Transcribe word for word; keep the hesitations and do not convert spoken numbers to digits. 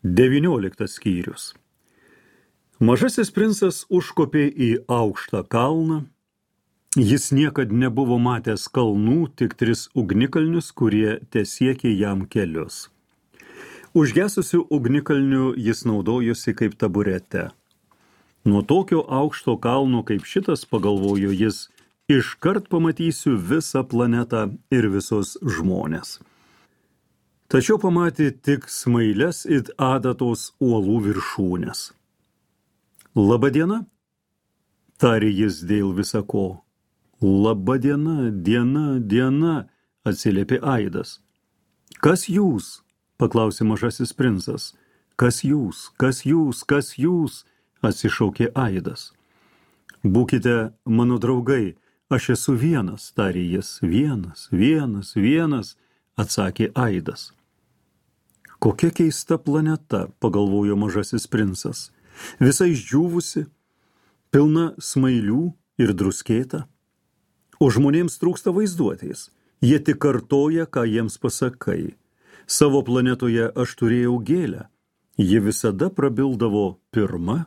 Devynioliktas skyrius. Mažasis princas užkopė į aukštą kalną. Jis niekad nebuvo matęs kalnų, tik tris ugnikalnius, kurie tesiekė jam kelius. Užgesusiu ugnikalniu jis naudojosi kaip taburete. Nuo tokio aukšto kalno kaip šitas, pagalvojo jis, iškart pamatysiu visą planetą ir visus žmones. Tačiau pamatė tik smailes it adatos uolų viršūnės. Labadiena, tarė jis dėl visa ko. Labadiena, diena, diena, atsiliepė aidas. Kas jūs? Paklausė mažasis princas. Kas jūs, kas jūs, kas jūs? Atsišaukė aidas. Būkite mano draugai, aš esu vienas, tarė jis. Vienas, vienas, vienas, atsakė aidas. Kokia keista planeta, pagalvojo mažasis princas. Visa išdžiūvusi, pilna smailių ir druskėta. O žmonėms trūksta vaizduotės. Jie tik kartoja, ką jiems pasakai. Savo planetoje aš turėjau gėlę. Ji visada prabildavo pirma